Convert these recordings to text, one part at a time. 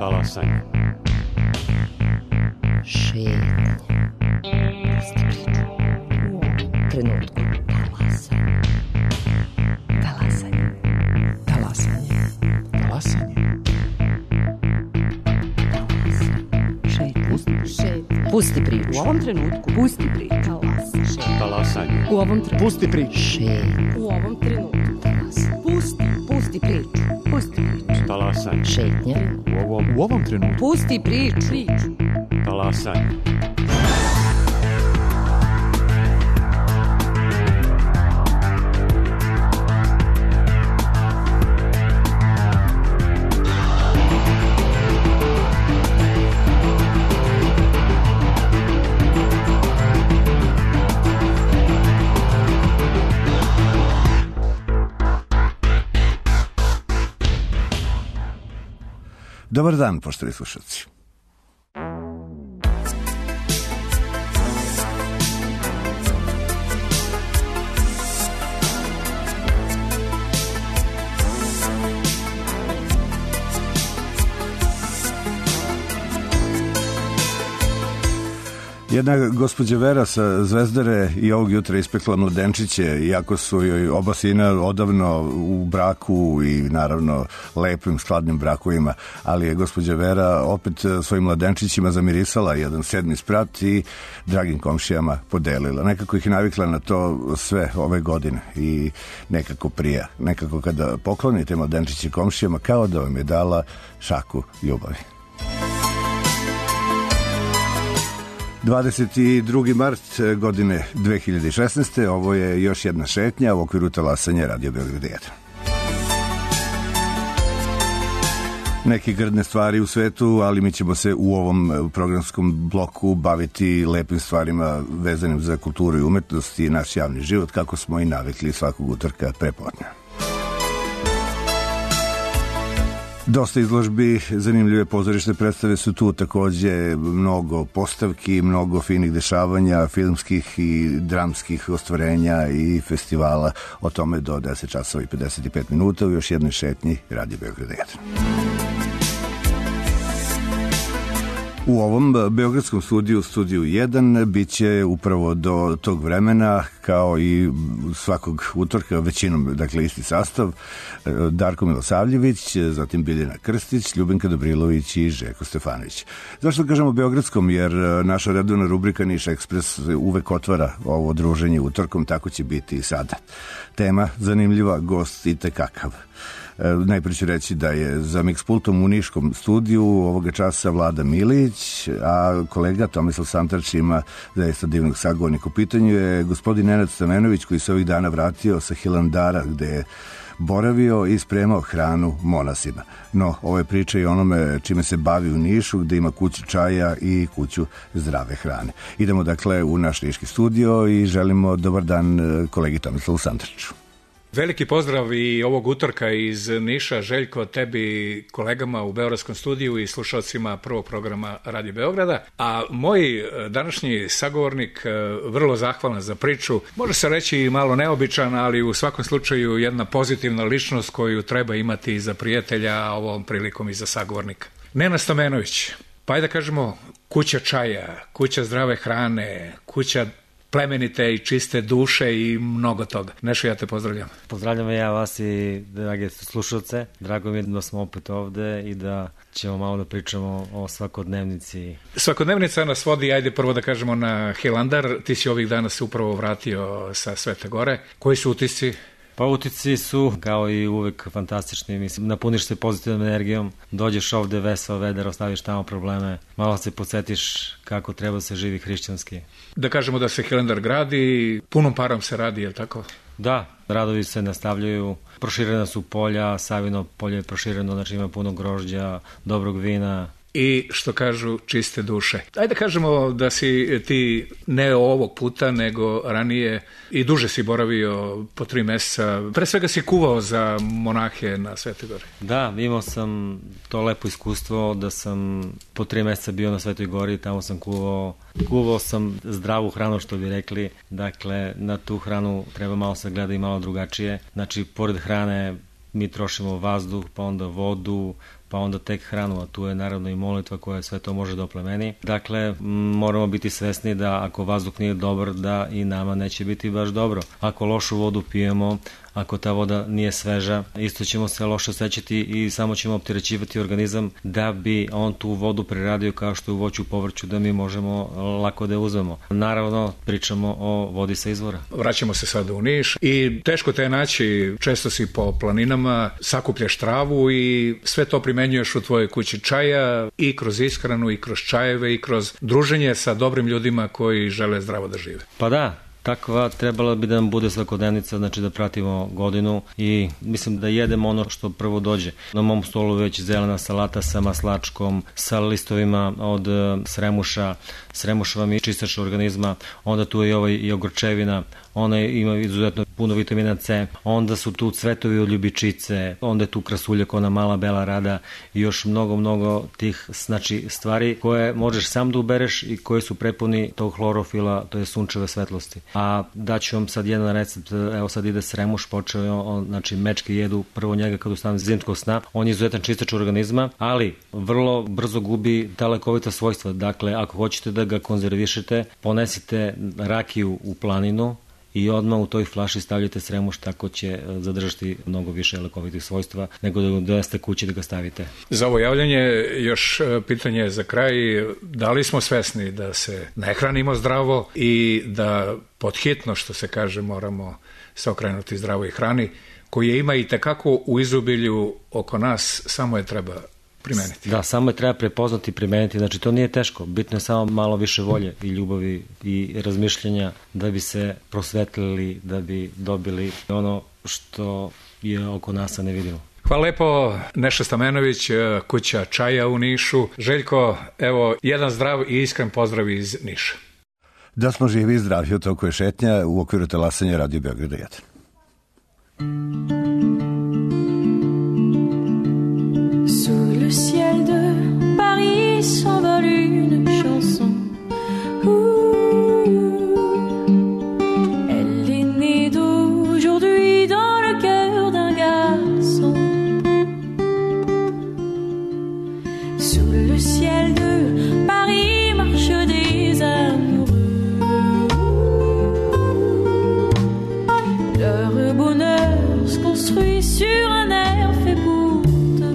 Talasanje. Šetnje. Pusti priču. U ovom trenutku. Talasanje. Talasanje. Talasanje. Talasanje. Pusti priču. U ovom trenutku. Pusti priču. Talasanje. U ovom trenutku. Pusti priču. Šetnje. U ovom trenutku. Pusti priču. Pusti priču. Talasanje. Šetnje. U ovom trenutku. Pusti priču. Talasanje. Dobar dan, poštovani slušalci. Jedna gospođa Vera sa Zvezdare i ovog jutra ispekla mladenčiće, iako su joj oba sina odavno u braku i naravno lepim, skladnim brakovima, ali je gospođa Vera opet svojim mladenčićima zamirisala jedan 7. sprat i dragim komšijama podelila. Nekako ih navikla na to sve ove godine i nekako prija. Nekako kada poklonite mladenčiće komšijama, kao da vam je dala šaku ljubavi. 22. mart godine 2016. Ovo je još jedna šetnja u okviru talasanja Radio Beograd 1. Neke grdne stvari u svetu, ali mi ćemo se u ovom programskom bloku baviti lepim stvarima vezanim za kulturu i umetnost i naš javni život, kako smo i navikli svakog utorka prepodne. Dosta izložbi, zanimljive pozorišne predstave su tu, takođe mnogo postavki, mnogo finih dešavanja, filmskih i dramskih ostvarenja i festivala. O tome do 10 časova i 55 minuta u još jednoj šetnji Radio Beograd 1. U ovom beogradskom studiju 1, bit će upravo do tog vremena, kao i svakog utorka, većinom, dakle, isti sastav, Darko Milosavljević, zatim Biljana Krstić, Ljubinka Dobrilović i Željko Stefanović. Zašto kažemo beogradskom? Jer naša redovna rubrika Niš Ekspres uvek otvara ovo druženje utorkom, tako će biti i sada. Tema zanimljiva, gost i tekakav. Najprije ću reći da je za Mixpultom u niškom studiju ovoga časa Vlada Milić, a kolega Tomislav Santarč ima zaista divnog sagovornika. U pitanju je gospodin Nenad Stamenović, koji se ovih dana vratio sa Hilandara, gde je boravio i spremao hranu monasima. No, ovo je priča i onome čime se bavi u Nišu, gde ima kuću čaja i kuću zdrave hrane. Idemo dakle u naš niški studio i želimo dobar dan kolegi Tomislavu Santarču. Veliki pozdrav i ovog utorka iz Niša, Željko, tebi, kolegama u Beogradskom studiju i slušalcima prvog programa Radio Beograda. A moj današnji sagovornik, vrlo zahvalan za priču, može se reći i malo neobičan, ali u svakom slučaju jedna pozitivna ličnost koju treba imati za prijatelja, a ovom prilikom i za sagovornika. Nenad Stamenović, pa ajde da kažemo kuća čaja, kuća zdrave hrane, kuća plemenite i čiste duše i mnogo toga. Nešo, ja te pozdravljam. Pozdravljam ja vas i drage slušalce. Drago mi je da smo opet ovde i da ćemo malo da pričamo o svakodnevnici. Svakodnevnica nas vodi, ajde prvo da kažemo, na Hilandar. Ti si ovih dana se upravo vratio sa Svete Gore. Koji su utisci? Pa utisci su, kao i uvek, fantastični. Mislim, napuniš se pozitivnom energijom, dođeš ovde veseo, vedar, ostaviš tamo probleme, malo se podsjetiš kako treba se živi hrišćanski. Da kažemo da se Hilandar gradi, punom parom se radi, je li tako? Da, radovi se nastavljaju, proširena su polja, Savino polje je prošireno, znači ima puno grožđa, dobrog vina. I što kažu, čiste duše. Ajde da kažemo da si ti ne ovog puta, nego ranije i duže si boravio po 3 meseca. Pre svega si kuvao za monahe na Svetoj Gori. Da, imao sam to lepo iskustvo da sam po 3 meseca bio na Svetoj Gori, tamo sam kuvao. Kuvao sam zdravu hranu, što bi rekli. Dakle, na tu hranu treba malo se gleda i malo drugačije. Znači, pored hrane mi trošimo vazduh, pa onda vodu, pa onda tek hranu, a tu je naravno i molitva koja sve to može da oplemeni. Dakle, moramo biti svesni da ako vazduh nije dobar, da i nama neće biti baš dobro. Ako lošu vodu pijemo, ako ta voda nije sveža, isto ćemo se loše osjećati i samo ćemo opterećivati organizam da bi on tu vodu preradio kao što je u voću u povrću, da mi možemo lako da je uzmemo. Naravno, pričamo o vodi sa izvora. Vraćamo se sada u Niš i teško te je naći, često si po planinama, sakupljaš travu i sve to primenjuješ u tvojoj kući čaja i kroz ishranu i kroz čajeve i kroz druženje sa dobrim ljudima koji žele zdravo da žive. Pa da, takva trebala bi da nam bude svakodnevnica, znači da pratimo godinu i mislim da jedemo ono što prvo dođe. Na mom stolu već zelena salata sa maslačkom, sa listovima od sremuša. Sremuš vam je čistač organizma, onda tu je i ogorčevina, ona ima izuzetno puno vitamina C, onda su tu cvetovi od ljubičice, onda je tu krasuljak, ona mala bela rada i još mnogo tih stvari koje možeš sam da ubereš i koje su prepuni tog hlorofila, to je sunčeve svetlosti. A daću vam sad jedan recept, evo sad ide sremuš, počeo, znači mečke jedu prvo njega kad ustane zimskog sna, on je izuzetan čistač organizma, ali vrlo brzo gubi ta lekovita svojstva. Dakle, ako hoćete da ga konzervišete, ponesite rakiju u planinu i odmah u toj flaši stavljate sremuš, tako će zadržati mnogo više lekovitih svojstva nego da donesete kući da ga stavite. Za ovo javljanje još pitanje za kraj. Da li smo svesni da se ne hranimo zdravo i da podhitno, što se kaže, moramo se okrenuti zdravoj hrani, koje ima i tekako u izobilju oko nas, samo je treba primeniti. Da, samo je treba prepoznati i primeniti, znači to nije teško, bitno je samo malo više volje i ljubavi i razmišljanja da bi se prosvetlili, da bi dobili ono što je oko nas, a ne vidimo. Hvala lepo, Neša Stamenović, kuća čaja u Nišu. Željko, evo, jedan zdrav i iskren pozdrav iz Niša. Da smo živi i zdravi, u toku je šetnja u okviru talasanja Radio Beograda 1. Sous le ciel de Paris s'envole une chanson. Elle est née d'aujourd'hui dans le cœur d'un garçon. Sous le ciel de Paris marchent des amoureux. Leur bonheur se construit sur un air fait pour d'un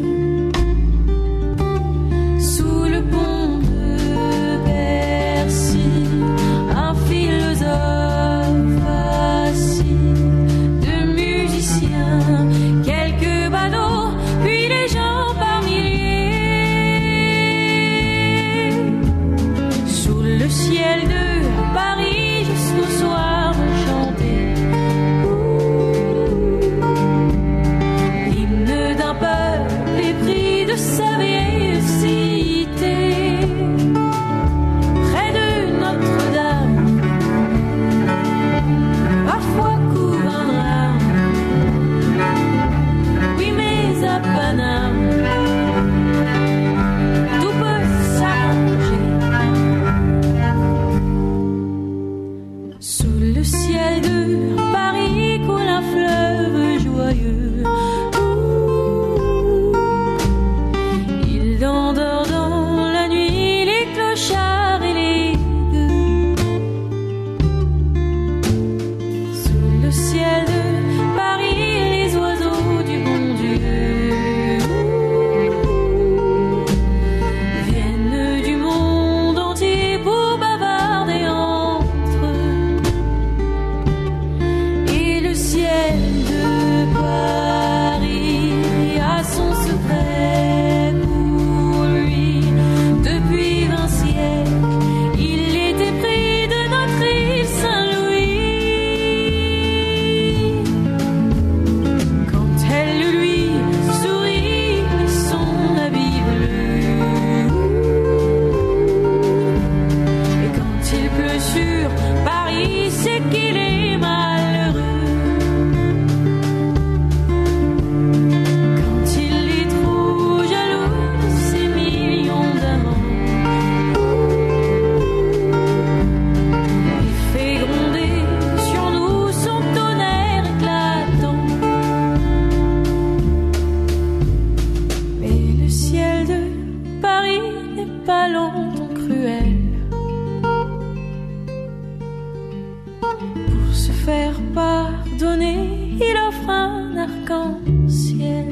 arc-en-ciel.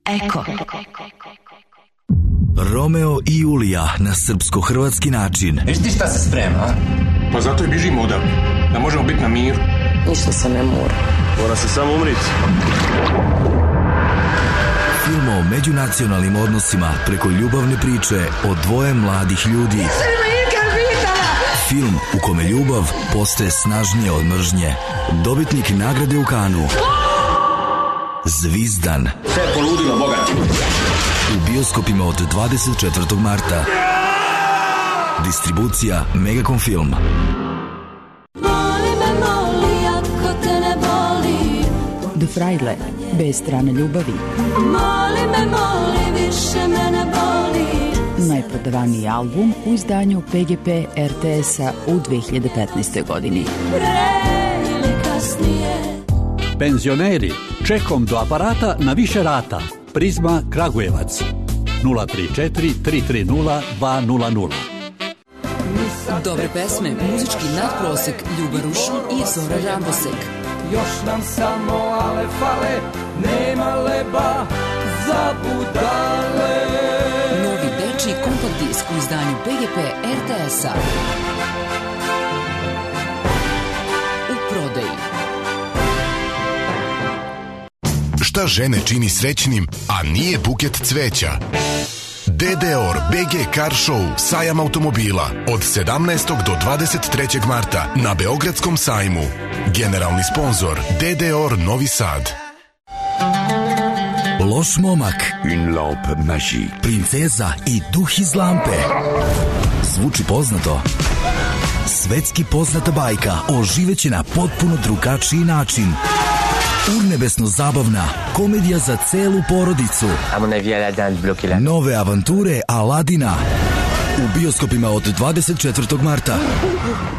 Eko. Romeo i Julija na srpsko-hrvatski način. Viš ti šta se sprema? Pa zato i bižimo odavde, da možemo biti na miru. Ništa se ne mora. Mora se samo umriti. Film o međunacionalnim odnosima preko ljubavne priče o dvoje mladih ljudi. Film u kome ljubav postaje snažnije od mržnje. Dobitnik nagrade u Kanu. Zvizdan. Sve je poludilo, Boga. U bioskopima od 24. marta. Distribucija Megacom Film. Moli me, moli, ako te ne boli. The Fraile, bez strane ljubavi. Moli me, moli, više me ne boli. Najprodavaniji album u izdanju PGP RTS-a u 2015. godini. Pre ili kasnije. Penzioneri, čekom do aparata na više rata. Prizma Kragujevac 034 330 200. Dobre pesme, muzički nadprosek, Ljuba Rušin i Zora Rambosek. Još nam samo ale fale, nema leba za budale. Novi dečiji kompakt disk u izdanju PGP RTS-a. U prodaji. Šta žene čini srećnim, a nije buket cveća? DDOR BG Car Show, sajam automobila od 17. do 23. marta na Beogradskom sajmu. Generalni sponzor DDOR Novi Sad. Loš momak, Une lampe magique. princeza i duh iz lampe. Zvuči poznato? Svetski poznata bajka oživeće na potpuno drugačiji način. Urnebesno zabavna komedija za celu porodicu. Nove avanture Aladina u bioskopima od 24. marta.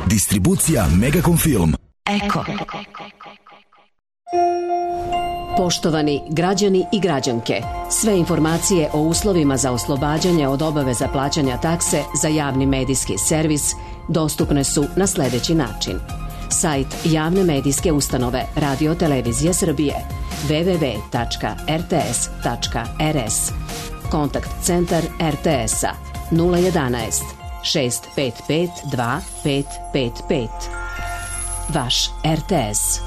Distribucija Megacom Film. Eko. Poštovani građani i građanke, sve informacije o uslovima za oslobađanje od obaveza plaćanja takse za javni medijski servis dostupne su na sljedeći način. Sajt javne medijske ustanove Radio Televizije Srbije www.rts.rs. Kontakt centar RTS-a 011 655 2555. Vaš RTS.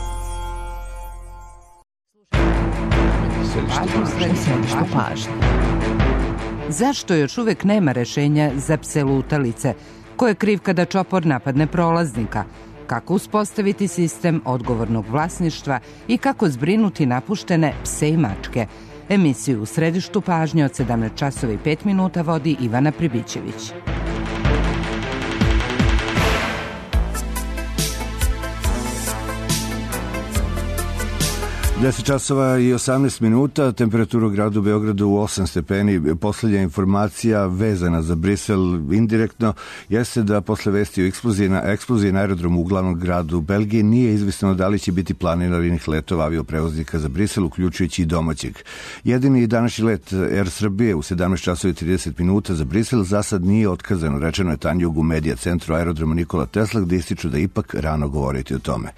Središtu pažnje. Zašto još uvek nema rešenja za pse lutalice? Ko je kriv kada čopor napadne prolaznika? Kako uspostaviti sistem odgovornog vlasništva i kako zbrinuti napuštene pse i mačke? Emisiju u središtu pažnje od 17 časova i 5 minuta vodi Ivana Pribićević. 10 časova i 18 minuta, temperatura u gradu Beogradu u 8 stepeni. Poslednja informacija vezana za Brisel indirektno jeste da posle vesti o eksploziji na aerodromu u glavnom gradu Belgije nije izvesno da li će biti planiranih letova avioprevoznika za Brisel, uključujući i domaćeg. Jedini današnji let Air Srbije u 17 časova i 30 minuta za Brisel za sad nije otkazano, rečeno je Tanjug u medija centru aerodroma Nikola Tesla, gde ističu da ipak rano govoriti o tome.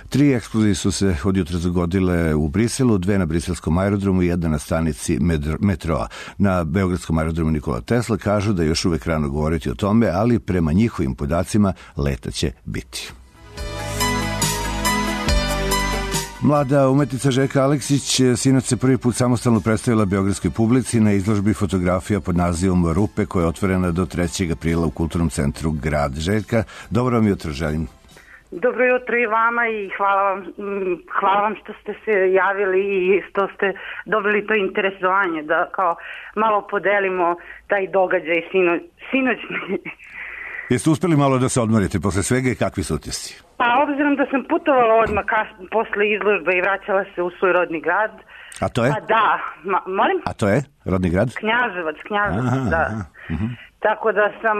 3 eksplozije su se od jutra zagodile u Briselu, 2 na briselskom aerodromu i 1 na stanici metroa. Na beogradskom aerodromu Nikola Tesla kažu da je još uvek rano govoriti o tome, ali prema njihovim podacima leta će biti. Mlada umetnica Željka Aleksić sinoć se prvi put samostalno predstavila beogradskoj publici na izložbi fotografija pod nazivom Rupe, koja je otvorena do 3. aprila u Kulturnom centru Grad. Željka, dobro vam jutro želim. Dobro jutro i vama i hvala vam što ste se javili i što ste dobili to interesovanje da kao malo podelimo taj događaj sinoćni. Jeste uspeli malo da se odmorite posle svega i kakvi su utisci? Pa obzirom da sam putovala odmah posle izložbe i vraćala se u svoj rodni grad. A to je? Pa da, molim? A to je? Rodni grad? Knjaževac, da. Tako da sam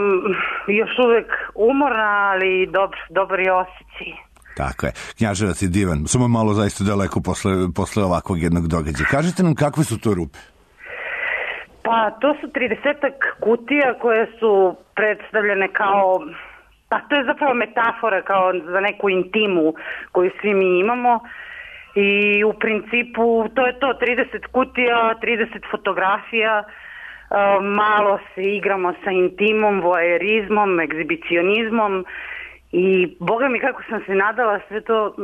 još uvek umorna, ali dobar je osjećaj. Tako je. Knjaževac je divan. Samo malo zaista daleko posle ovakvog jednog događaja. Kažite nam kakve su to rupe? Pa to su 30-ak kutija koje su predstavljene kao Pa to je zapravo metafora kao za neku intimu koju svi mi imamo i u principu to je to, 30 kutija, 30 fotografija, malo se igramo sa intimom, voajerizmom, egzibicionizmom i boga mi kako sam se nadala, sve to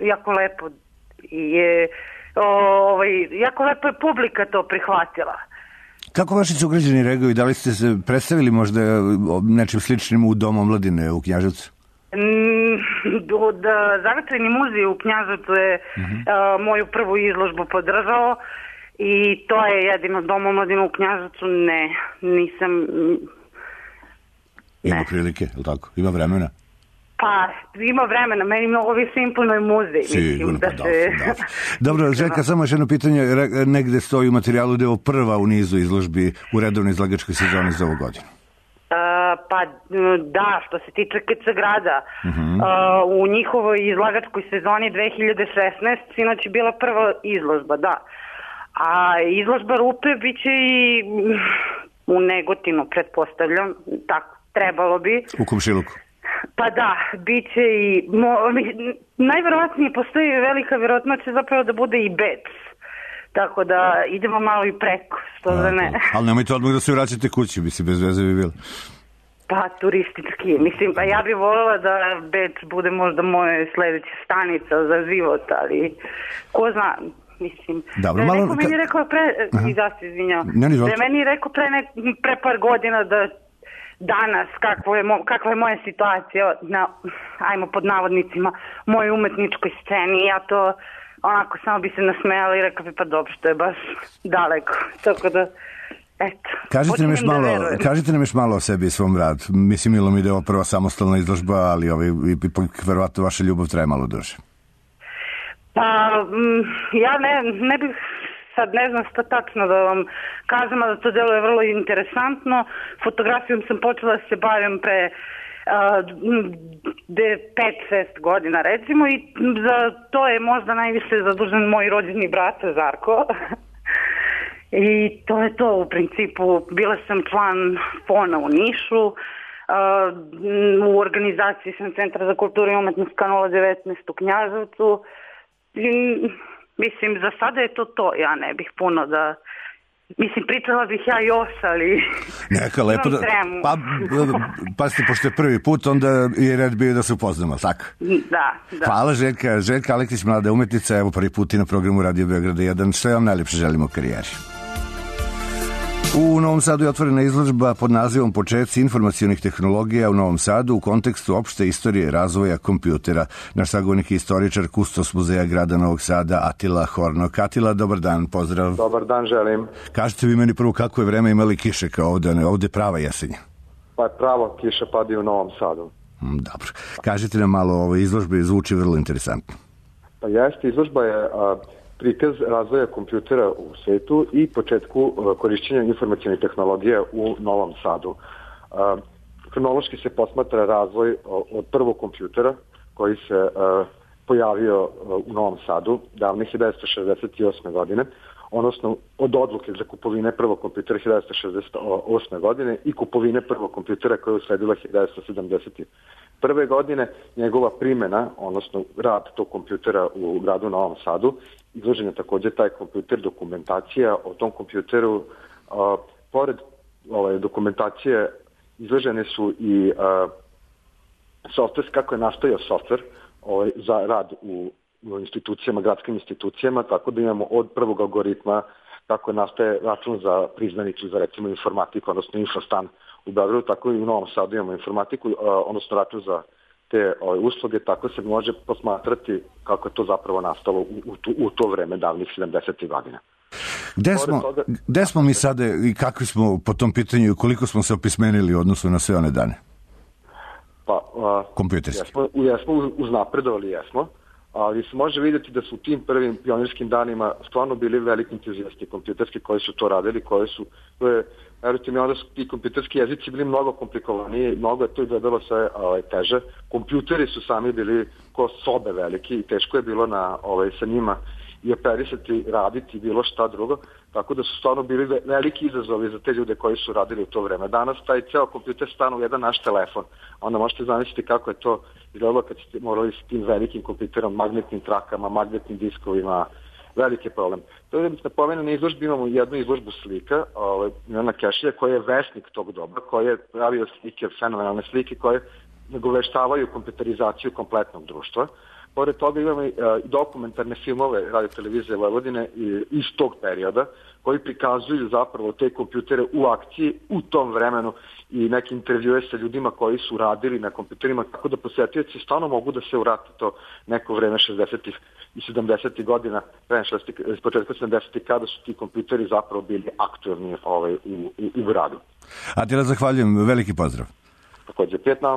jako lepo je, jako lepo je publika to prihvatila. Kako vaši sugrađani reaguju? Da li ste se predstavili možda nečim sličnim u Domu omladine u Knjaževcu? Zavetreni muzej u Knjaževcu je moju prvu izložbu podržao i to je jedino Dom omladine u Knjaževcu. Ne, nisam... Ima prilike, je li tako? Ima vremena? Pa, ima vremena, meni mnogo više imponuje muzej. Sigurno, pa da. Dobro, Željka, samo još jedno pitanje, negde stoji u materijalu da je ovo prva u nizu izložbi u redovnoj izlagačkoj sezoni za ovu godinu. Pa da, što se tiče KC grada, u njihovoj izlagačkoj sezoni 2016 sinoć je bila prva izložba, da. A izložba Rupe bit će i u Negotinu, pretpostavljam, tako, trebalo bi. U Komšiluku. Pa da, bit će i... najverovatnije postoji velika vjerojatnoća zapravo da bude i Bec. Tako da idemo malo i preko, što da ne. Ali nemojte odmah da se vraćate kući, bi si bez veze bi bilo. Pa turistički, mislim, pa ja bih voljela da Bec bude možda moja sledeća stanica za život, ali ko zna, mislim. Dobro, da je neko meni rekao da je meni rekao pre par godina da danas, kakva je moja situacija na, ajmo pod navodnicima, mojoj umetničkoj sceni, ja to onako samo bi se nasmejala i rekao bi pa dobro, što je baš daleko, tako da eto. Kažite nam još malo o sebi i svom radu. Mislim, milo mi da je ovo prva samostalna izložba, ali verovatno vaša ljubav traje malo duže. Pa ja ne bih sad ne znam što tačno da vam kažem, da to delo je vrlo interesantno. Fotografijom sam počela da se bavim pre 5-6 godina recimo i za to je možda najviše zadužen moj rođeni brat Zarko. I to je to u principu. Bila sam član FON-a u Nišu, u organizaciji sam Centra za kulturu i umetnost Kanala 19 u Knjaževcu. Mislim, za sada je to. Ja ne bih puno da... Mislim, pričala bih ja još, ali... Neka, lepo da... Pa ste, pošto je prvi put, onda je red bio da se upoznamo, tako? Da. Hvala, Željka. Željka Aleksić, mlada umetnica, evo prvi put i na programu Radio Beograda 1. Sve vam najljepše želimo u karijeri. U Novom Sadu je otvorena izložba pod nazivom Početci informacionih tehnologija u Novom Sadu u kontekstu opšte istorije razvoja kompjutera. Naš sagovornik je istoričar, kustos muzeja grada Novog Sada, Atila Hornok. Atila, dobar dan, pozdrav. Dobar dan, želim. Kažete vi meni prvo kako je vreme, imali kiše kao ovde prava jesenja? Pa je pravo, kiša padi u Novom Sadu. Dobro. Kažete nam malo o ovoj izložbi, zvuči vrlo interesantno. Pa jeste, izložba je... prikaz razvoja kompjutera u svetu i početku korišćenja informacionih tehnologija u Novom Sadu. Kronološki se posmatra razvoj od prvog kompjutera koji se pojavio u Novom Sadu davne 1968. godine, odnosno od odluke za kupovine prvog kompjutera 1968. godine i kupovine prvog kompjutera koja je usledila 1971. godine. Njegova primjena, odnosno rad tog kompjutera u gradu Novom Sadu, izložen je također taj kompjuter, dokumentacija o tom kompjuteru. Pored dokumentacije izložene su i softver, kako je nastajao softver za rad u institucijama, gradskim institucijama, tako da imamo od prvog algoritma kako nastaje račun za priznanicu za recimo informatiku, odnosno infostan u Beogradu, tako i u Novom Sadu imamo informatiku, odnosno račun za te usluge, tako se može posmatrati kako je to zapravo nastalo u to vreme davnih 70. godina. Gde smo mi sada i kakvi smo po tom pitanju i koliko smo se opismenili u odnosu na sve one dane? Kompjuterski. Jesmo uznapredovali, ali se može vidjeti da su u tim prvim pionirskim danima stvarno bili veliki entuzijasti kompjuterski koji su to radili, verujte mi, onda su ti kompjuterski jezici bili mnogo komplikovaniji, mnogo je to izgledalo sve teže. Kompjuteri su sami bili ko sobe veliki i teško je bilo sa njima i operisati, raditi bilo šta drugo, tako da su stvarno bili veliki izazovi za te ljude koji su radili u to vreme. Danas taj ceo kompjuter stane u jedan naš telefon, onda možete zamisliti kako je to izgledalo kad ste morali s tim velikim kompjuterom, magnetnim trakama, magnetnim diskovima, veliki problem. To je da bih napomenuo, na izložbi imamo jednu izložbu slika, Milana Kešlja, koji je vesnik tog doba, koji je pravio slike, fenomenalne slike koje nagoveštavaju kompjuterizaciju kompletnog društva. Pored toga imamo i dokumentarne filmove Radio televizije Vojvodine iz tog perioda, koji prikazuju zapravo te kompjutere u akciji u tom vremenu i neke intervjue sa ljudima koji su radili na kompjuterima, tako da posetioci stvarno mogu da se vrate to neko vreme 60. i 70. godina, s početka 70. kada su ti kompjuteri zapravo bili aktualni u radu. Atila, zahvaljujem, veliki pozdrav.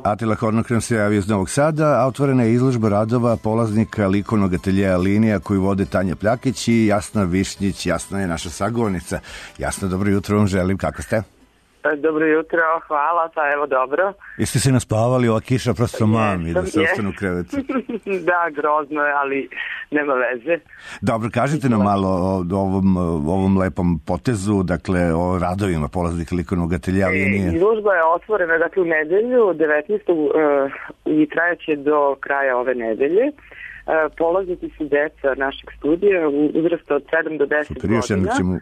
Atila Hornokran se javio iz Novog Sada, a otvorena je izložba radova polaznika likovnog ateljeja Linija koju vode Tanja Pljakić i Jasna Višnjić. Jasna je naša sagovornica. Jasna, dobro jutro vam želim, kako ste? Dobro jutro, hvala, pa evo dobro. Jeste se naspavali, ova kiša prosto mami da se ostanu u krevetu? Da, grozno je, ali nema veze. Dobro, kažite nam malo o ovom lepom potezu, dakle o radovima polaznika likovnog ateljeja Linije. Izložba je otvorena dakle u nedelju 19. I trajaće do kraja ove nedelje. Polaznici su deca našeg studija u uzrastu od 7 do 10 godina.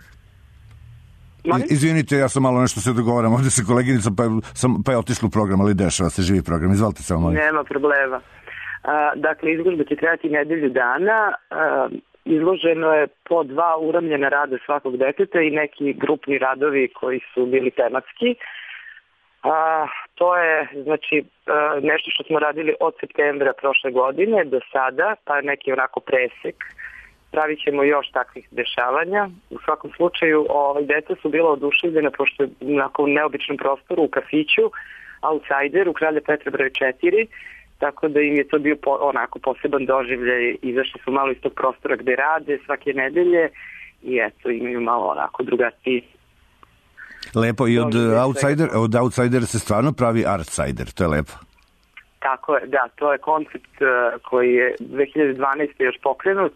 Izvinite, ja sam malo nešto se dogovaram ovdje sa koleginicom, pa je otišla u program, ali dešava se živi program. Izvolite samo malo. Nema problema. Dakle, izložba će trajati nedelju dana. Izloženo je po 2 uramljena rada svakog deteta i neki grupni radovi koji su bili tematski. To je znači nešto što smo radili od septembra prošle godine do sada, pa neki onako presek. Pravit ćemo još takvih dešavanja. U svakom slučaju, deca su bila oduševljena pošto je u neobičnom prostoru u kafiću Outsider u Kralja Petra broj 4, tako da im je to bio onako poseban doživljaj. Izašli su malo iz tog prostora gde rade svake nedelje i eto, imaju malo onako drugačiji. Lepo, i od Outsider se stvarno pravi Artsider, to je lepo. Tako je, da, to je koncept koji je 2012. još pokrenut.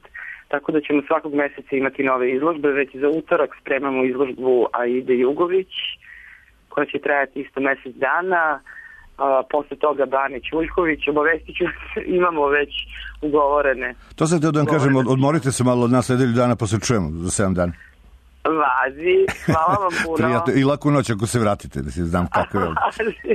Tako da ćemo svakog meseca imati nove izložbe. Već za utorak spremamo izložbu Aide Jugović, koja će trajati isto mesec dana. Posle toga Bane Ćuljković, obavestit ću, imamo već ugovorene. To sam htio da vam kažem, odmorite se malo od nas nedelju dana, pa se čujemo za 7 dana. Vazi, hvala vam puno. Prijatno, i laku noć ako se vratite, da se znam kako je.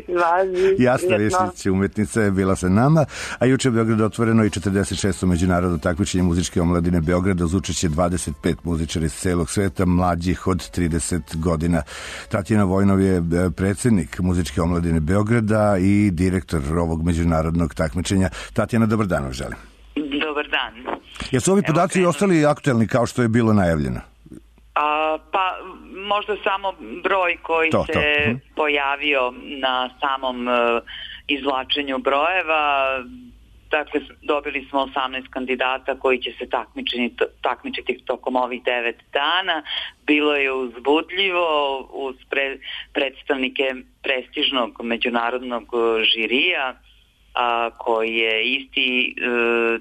Vazi. Jasna Višnjić, umetnica je bila sa nama, a juče je Beograd otvoreno i 46. međunarodno takmičenje muzičke omladine Beograda uz učešće 25 muzičara iz celog sveta, mlađih od 30 godina. Tatjana Vojnov je predsjednik muzičke omladine Beograda i direktor ovog međunarodnog takmičenja. Tatjana, dobar dan vam želim. Dobar dan. Jesu ovi podaci ostali aktuelni kao što je bilo najavljeno? Pa možda samo broj koji se pojavio na samom izvlačenju brojeva. Dakle, dobili smo 18 kandidata koji će se takmičiti tokom ovih 9 dana. Bilo je uzbudljivo uz predstavnike prestižnog međunarodnog žirija, koji je isti,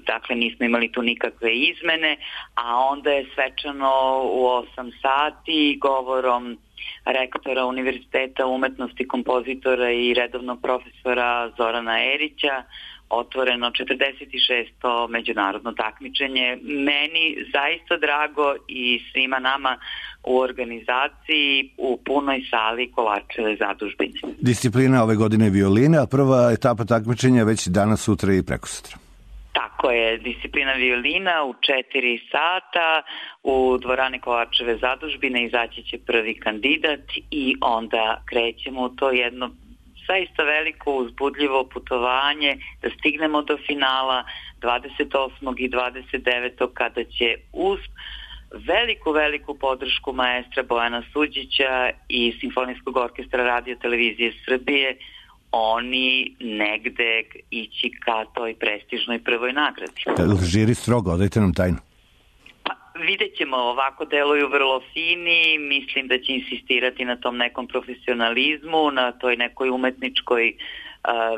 dakle nismo imali tu nikakve izmene, a onda je svečano u 8 sati govorom rektora Univerziteta umetnosti, kompozitora i redovnog profesora Zorana Erića otvoreno 46. međunarodno takmičenje. Meni zaista drago i svima nama u organizaciji u punoj sali Kovačeve zadužbine. Disciplina ove godine je violina, a prva etapa takmičenja već danas, sutra i prekosutra. Tako je, disciplina violina u 4 sata u dvorani Kovačeve zadužbine izaći će prvi kandidat i onda krećemo u to jedno zaista veliko uzbudljivo putovanje da stignemo do finala 28. i 29. kada će uz veliku podršku maestra Bojana Suđića i Simfonijskog orkestra Radio televizije Srbije oni negde ići ka toj prestižnoj prvoj nagradi. Žiri strogo, odajte nam tajnu. Vidjet ćemo, ovako deluju vrlo fini, mislim da će insistirati na tom nekom profesionalizmu, na toj nekoj umetničkoj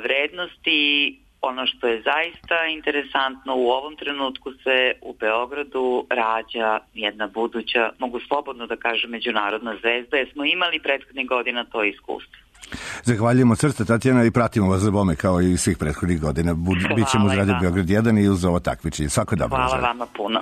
vrednosti ono što je zaista interesantno, u ovom trenutku se u Beogradu rađa jedna buduća, mogu slobodno da kažem, međunarodna zvezda, jer smo imali prethodnih godina to iskustvo. Zahvaljujemo srce, Tatjana, i pratimo vas za bome kao i svih prethodnih godina. Bićemo uz Radio Beograd 1 i uz ovo takmičenje. Svako dobro. Hvala vama puno.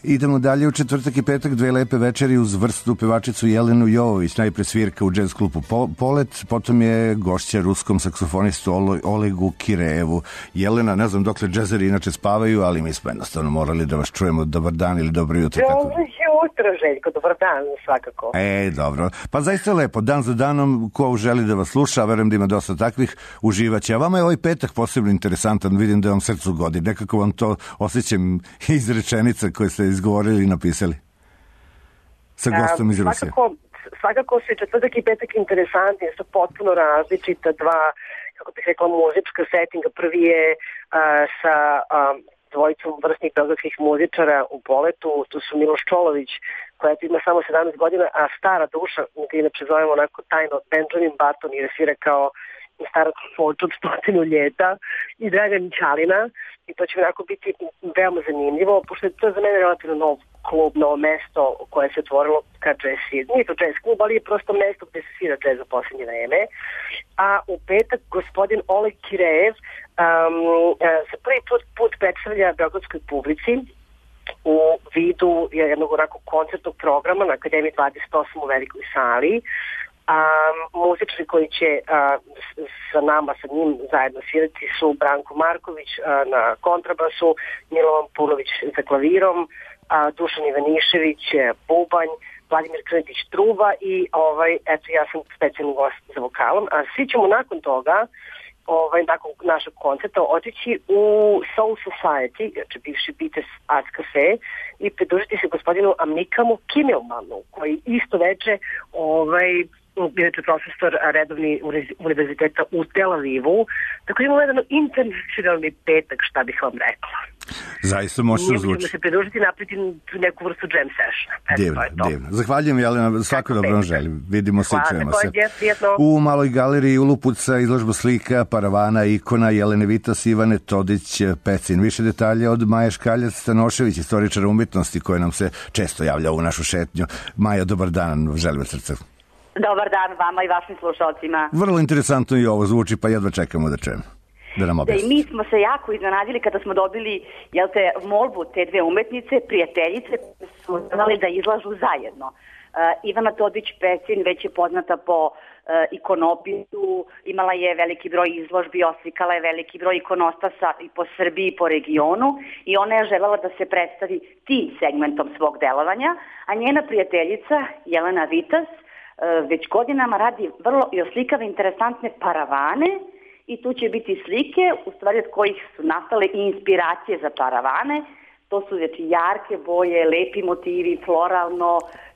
Idemo dalje u četvrtak i petak, dve lepe večeri uz vrsnu pevačicu Jelenu Jovović, najpre svirka u džez klubu Polet, potom je gošća ruskom saksofonistu Olegu Kireevu. Jelena, ne znam dokle džezeri inače spavaju, ali mi smo jednostavno morali da vas čujemo. Dobar dan ili dobro jutro. Dobro jutro, Željko, dobar dan svakako. Dobro. Pa zaista lepo, dan za danom, ko želi da vas sluša, verujem da ima dosta takvih, uživaće. A vama je ovaj petak posebno interesantan, vidim da vam srcu godi. Nekako vam to osjećam iz rečenica koje ste izgovorili i napisali sa gostom iz Rusije. Svakako su i četvrtak i petak interesantni, su potpuno različita dva, kako bih rekla, muzička settinga. Prvi je sa dvojicom vrsnih beogradskih muzičara u Poletu, tu su Miloš Čolović, koja ima samo 17 godina, a stara duša, gdje inače zovemo onako tajno Benjamin Button, jer svira kao starac Foč od 100 ljeta, i Dragan Ćalina, i to će onako biti veoma zanimljivo, pošto je to za mene relativno nov klub, novo mesto koje se otvorilo ka jazz svir. Nije to jazz klub, ali je prosto mesto gde se svira jazz za posljednje vreme. A u petak gospodin Oleg Kireev se prvi put predstavlja beogradskoj publici u vidu jednog onako koncertnog programa na Akademiji 28 u velikoj sali. Muzičari koji će sa nama, sa njim zajedno svirati su Branko Marković na kontrabasu, Milovan Punović za klavirom, Dušan Ivanišević bubanj, Vladimir Krnetić truba i eto, ja sam specijalni gost za vokalom. A svi ćemo nakon toga, nakon našeg koncerta, otići u Soul Society, znači bivši Beatles Art Cafe, i pridružiti se gospodinu Amikamu Kimmelmanu, koji isto veče inače profesor redovni univerziteta u Tel Avivu. Tako imamo jedan internacionalni petak, šta bih vam rekla. Zaista možete zvuči. Možemo se pridružiti i napraviti neku vrstu jam sessiona. Divno. Zahvaljujem, Jelena, svako dobro vam želim. Vidimo se i čujemo se. U Maloj galeriji Ulupuca izložba slika, paravana, ikona Jelene Vitas, Ivane Todić, Pecin. Više detalja od Maje Škaljac Stanošević, istoričara umjetnosti, koja nam se često javlja u našu šetnju. Maja, dobar dan, želim srce. Dobar dan vama i vašim slušalcima. Vrlo interesantno i ovo zvuči, pa jedva čekamo da čujemo. Da nam objasni. I mi smo se jako iznenadili kada smo dobili molbu te dve umetnice, prijateljice, su znali da izlažu zajedno. Ivana Todić Pecin već je poznata po ikonopisu, imala je veliki broj izložbi, oslikala je veliki broj ikonostasa i po Srbiji i po regionu, i ona je želela da se predstavi tim segmentom svog delovanja, a njena prijateljica Jelena Vitas već godinama radi vrlo i oslikava interesantne paravane, i tu će biti slike, u stvari od kojih su nastale i inspiracije za paravane. To su znači jarke boje, lepi motivi, floralno,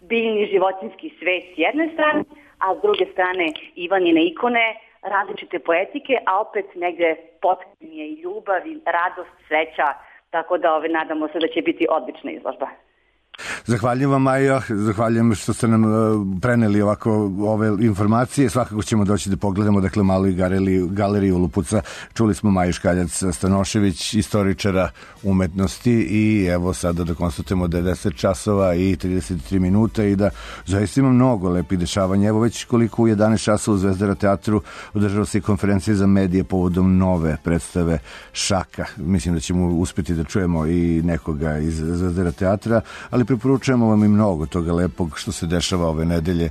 biljni životinski svet s jedne strane, a s druge strane Ivanine ikone, različite poetike, a opet negde potkrenje i ljubav i radost, sreća, tako da nadamo se da će biti odlična izložba. Zahvaljujem vam, Maja, zahvaljujem što ste nam preneli ovako ove informacije. Svakako ćemo doći da pogledamo, dakle, Maloj galeriji Ulupuca. Čuli smo Maju Škaljac Stanošević, istoričara umetnosti, i evo sada da konstatujemo da je 10 časova i 33 minuta i da zaista ima mnogo lepih dešavanja. Evo već koliko u 11 časova u Zvezdara teatru održava se konferencija za medije povodom nove predstave Šaka. Mislim da ćemo uspjeti da čujemo i nekoga iz Zvezdara teatra, ali preporučujemo vam i mnogo toga lepog što se dešava ove nedelje.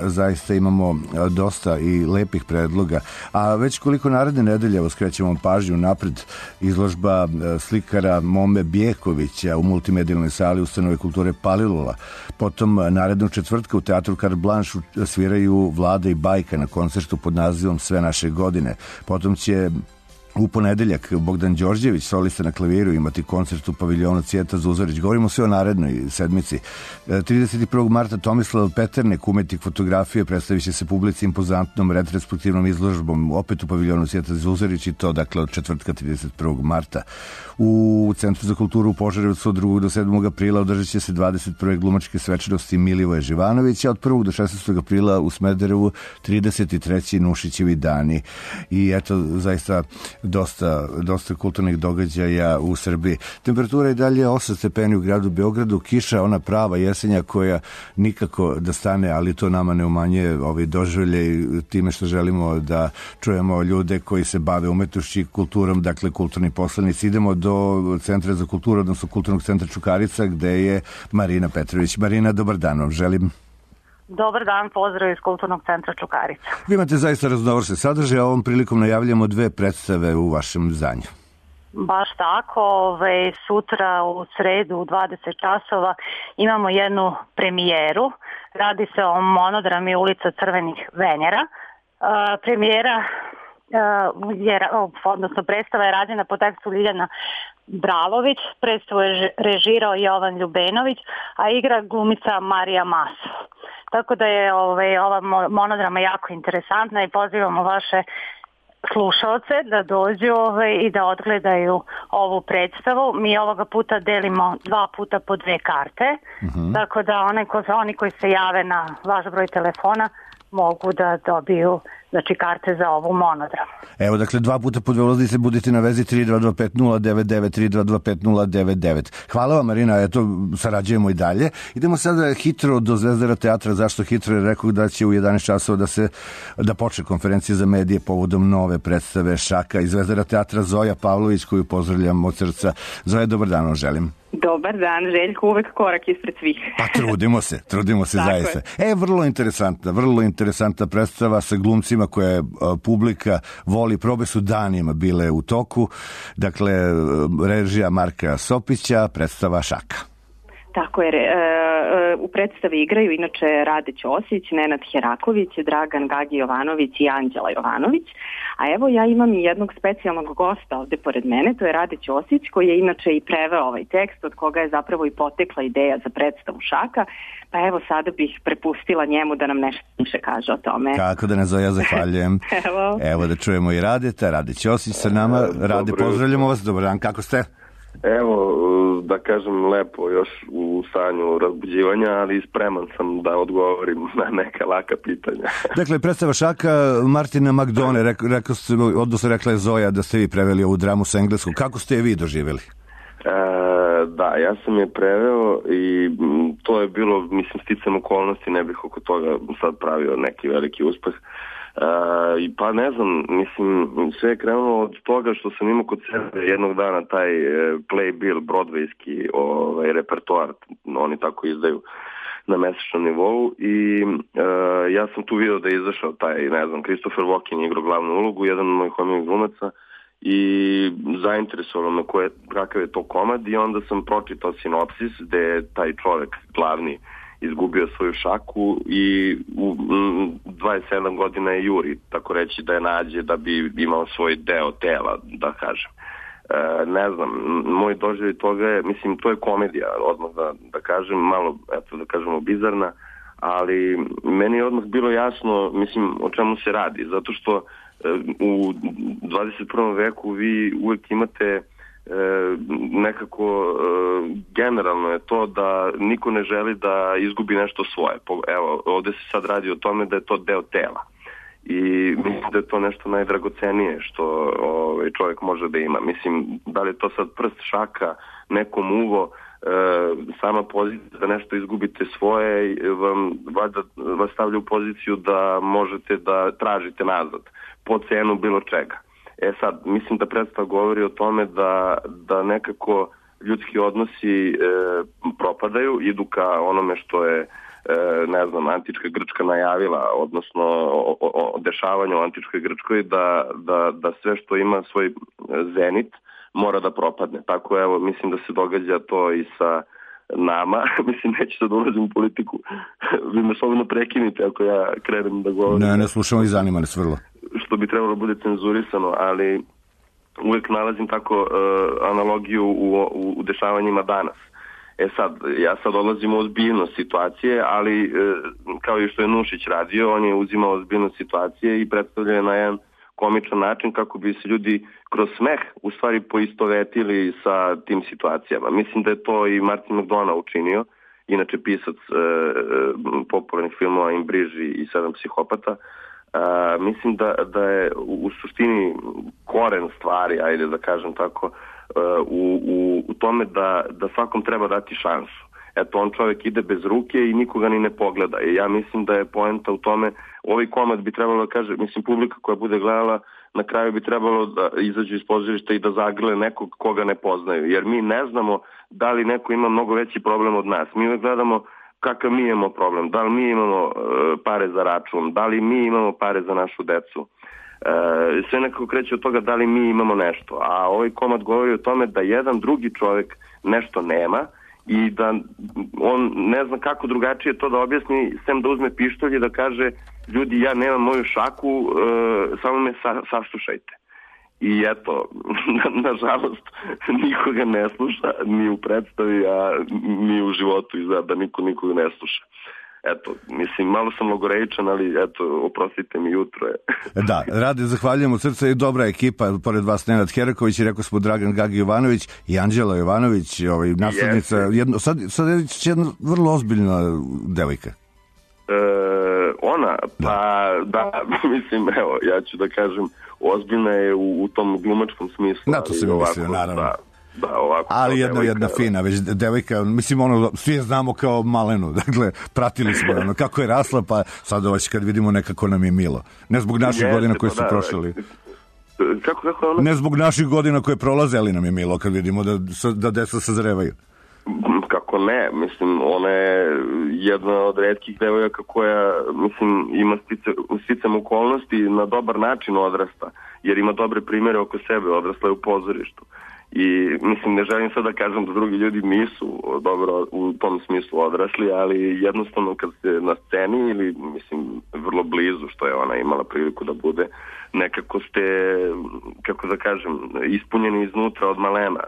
Zaista imamo dosta i lepih predloga. A već koliko naredne nedelje, evo skrećemo pažnju napred, izložba slikara Mome Bjekovića u multimedijalnoj sali Ustanove kulture Palilula. Potom narednog četvrtka u teatru Carte Blanche sviraju Vlada i Bajka na koncertu pod nazivom Sve naše godine. Potom će u ponedeljak Bogdan Đorđević, solista na klaviru, imati koncert u paviljonu Cvijeta Zuzorić. Govorimo sve o narednoj sedmici. 31. marta Tomislav Peternek, umetnik fotografije, predstavit će se publici impozantnom retrospektivnom izložbom opet u paviljonu Cvijeta Zuzorić i to dakle od četvrtka 31. marta. U Centru za kulturu u Požarevcu od 2. do 7. aprila održat će se 21. glumačke svečanosti Milivoja Živanovića, od 1. do 16. aprila u Smederevu 33. Nušićevi dani. I eto, zaista dosta kulturnih događaja u Srbiji. Temperatura je dalje 8 stepeni u gradu Beogradu, kiša, ona prava jesenja koja nikako da stane, ali to nama ne umanjuje doživljaj time što želimo da čujemo ljude koji se bave umetnošću i kulturom, dakle kulturni poslanici. Idemo do Centra za kulturu, odnosno Kulturnog centra Čukarica, gde je Marina Petrović. Marina, dobar dan vam želim. Dobar dan, pozdrav iz Kulturnog centra Čukarica. Vi imate zaista raznovrsne sadržaje, a ovom prilikom najavljamo 2 predstave u vašem zdanju. Baš tako, sutra u sredu u 20 časova imamo jednu premijeru. Radi se o monodrami Ulica crvenih Venjera. Premijera odnosno predstava je rađena po tekstu Ljiljana Bralović, predstavu je režirao Jovan Ljubenović, a igra glumica Marija Masov. Tako da je ova monodrama jako interesantna i pozivamo vaše slušalce da dođu i da odgledaju ovu predstavu. Mi ovoga puta delimo 2 puta po 2 karte, tako da oni koji se jave na vaš broj telefona mogu da dobiju karte za ovu monodramu. Evo, dakle, 2 puta po 2 ulaznice, budite na vezi 3225 099 3225 099. Hvala vam, Marina, eto, sarađujemo i dalje. Idemo sada hitro do Zvezdara teatra. Zašto hitro? Jer rekao da će u 11 časova da počne konferencija za medije povodom nove predstave Šaka iz Zvezdara teatra. Zoja Pavlović, koju pozdravljam od srca. Zoja, dobar dan vam želim. Dobar dan, Željko, uvek korak ispred svih. Pa trudimo se zaista. Vrlo interesantna predstava sa glumcima koje publika voli, probe su danima bile u toku. Dakle, režija Marka Sopića, predstava Šaka. Tako je, u predstavi igraju inače Rade Ćosić, Nenad Heraković, Dragan Gagi Jovanović i Anđela Jovanović. A evo ja imam i jednog specijalnog gosta ovde pored mene, to je Rade Ćosić, koji je inače i preveo ovaj tekst, od koga je zapravo i potekla ideja za predstavu Šaka. Pa evo sada bih prepustila njemu da nam nešto više kaže o tome. Kako da ne, Zoja, zahvaljujem. Evo da čujemo i Radeta, Rade Ćosić sa nama. Rade, pozdravljamo vas, dobar dan, kako ste? Evo, da kažem lepo, još u stanju razbuđivanja, ali spreman sam da odgovorim na neka laka pitanja. Dakle, predstava Šaka Martina McDonagha, rekla je Zoja da ste vi preveli ovu dramu sa engleskog. Kako ste je vi doživjeli? Da, ja sam je preveo i to je bilo, mislim, sticam okolnosti, ne bih oko toga sad pravio neki veliki uspeh. Pa ne znam, mislim, sve je krenulo od toga što sam imao kod sebe jednog dana taj playbill, broadwayski repertoar, oni tako izdaju na mesečnom nivou i ja sam tu vidio da je izašao taj, ne znam, Christopher Walken igrao glavnu ulogu, jedan od mojih omiljenih glumaca i zainteresovalo me kakav je to komad i onda sam pročitao sinopsis gde je taj čovek glavni izgubio svoju šaku i u 27 godina je juri, tako reći, da je nađe da bi imao svoj deo tela, da kažem. Ne znam, moj doživljaj toga je, mislim, to je komedija, odmah da kažem, malo, eto da kažemo, bizarna, ali meni je odmah bilo jasno, mislim, o čemu se radi, zato što u 21. veku vi uvek imate nekako generalno je to da niko ne želi da izgubi nešto svoje. Evo, ovde se sad radi o tome da je to deo tela i mislim da je to nešto najdragocenije što čovjek može da ima. Mislim, da li je to sad prst, šaka, nekom uvo, sama pozicija da nešto izgubite svoje vas stavlja u poziciju da možete da tražite nazad po cenu bilo čega. Sad, mislim da predstava govori o tome da nekako ljudski odnosi propadaju, idu ka onome što je, ne znam, antička Grčka najavila, odnosno o dešavanju u antičkoj Grčkoj, da sve što ima svoj zenit mora da propadne. Tako, evo, mislim da se događa to i sa nama. Mislim, neću sad ulazim u politiku. Vi me slobodno prekinite ako ja krenem da govorim. Ne slušamo i zanima nas vrlo. Što bi trebalo bude cenzurisano, ali uvek nalazim tako analogiju u dešavanjima danas. Ja sad odlazim u ozbiljnost situacije, ali kao i što je Nušić radio, on je uzimao ozbiljnost situacije i predstavljao na jedan komičan način kako bi se ljudi kroz smeh u stvari poistovetili sa tim situacijama. Mislim da je to i Martin McDonagh učinio, inače pisac popularnih filmova In Briži i Sedam psihopata. Mislim da je u suštini koren stvari, ajde da kažem tako, u tome da svakom treba dati šansu. Eto, on čovjek ide bez ruke i nikoga ni ne pogleda. I ja mislim da je poenta u tome, ovaj komad bi trebalo da kaže, mislim, publika koja bude gledala, na kraju bi trebalo da izađu iz pozorišta i da zagrle nekog koga ne poznaju. Jer mi ne znamo da li neko ima mnogo veći problem od nas. Mi uvek gledamo kakav mi imamo problem, da li mi imamo pare za račun, da li mi imamo pare za našu decu. Sve nekako kreće od toga da li mi imamo nešto. A ovaj komad govori o tome da jedan drugi čovjek nešto nema i da on ne zna kako drugačije to da objasni, sem da uzme pištolj i da kaže, ljudi, ja nemam moju šaku, samo me saslušajte. I eto, nažalost, nikoga ne sluša, ni u predstavi, a ni u životu izgleda da nikoga ne sluša. Eto, mislim, malo sam logoreičan, ali eto, oprostite mi, jutro je. Da, Rade, zahvaljujem od srca i dobra ekipa, pored vas Nenad Heraković i rekao smo Dragan Gagi Jovanović i Anđela Jovanović, naslednica, sad je jedna vrlo ozbiljna devojka. Ona, pa da, mislim, evo, ja ću da kažem, ozbiljna je u tom glumačkom smislu. Na to se mi mislio, naravno. Da, ovako. Ali jedna fina, već devojka, mislim, svi je znamo kao malenu, dakle, pratili smo kako je rasla, pa sad kad vidimo nekako nam je milo. Ne zbog naših godina koje su prošli. Kako ona? Ne zbog naših godina koje prolaze, ali nam je milo kad vidimo da deca sazrevaju. Kako ne, mislim, ona je jedna od retkih devojaka koja, mislim, ima sticam okolnosti na dobar način odrasta, jer ima dobre primjere oko sebe, odrasla je u pozorištu. I mislim, ne želim sad da kažem da drugi ljudi nisu dobro u tom smislu odrasli, ali jednostavno kad ste na sceni ili, mislim, vrlo blizu, što je ona imala priliku da bude, nekako ste, kako da kažem, ispunjeni iznutra od malena.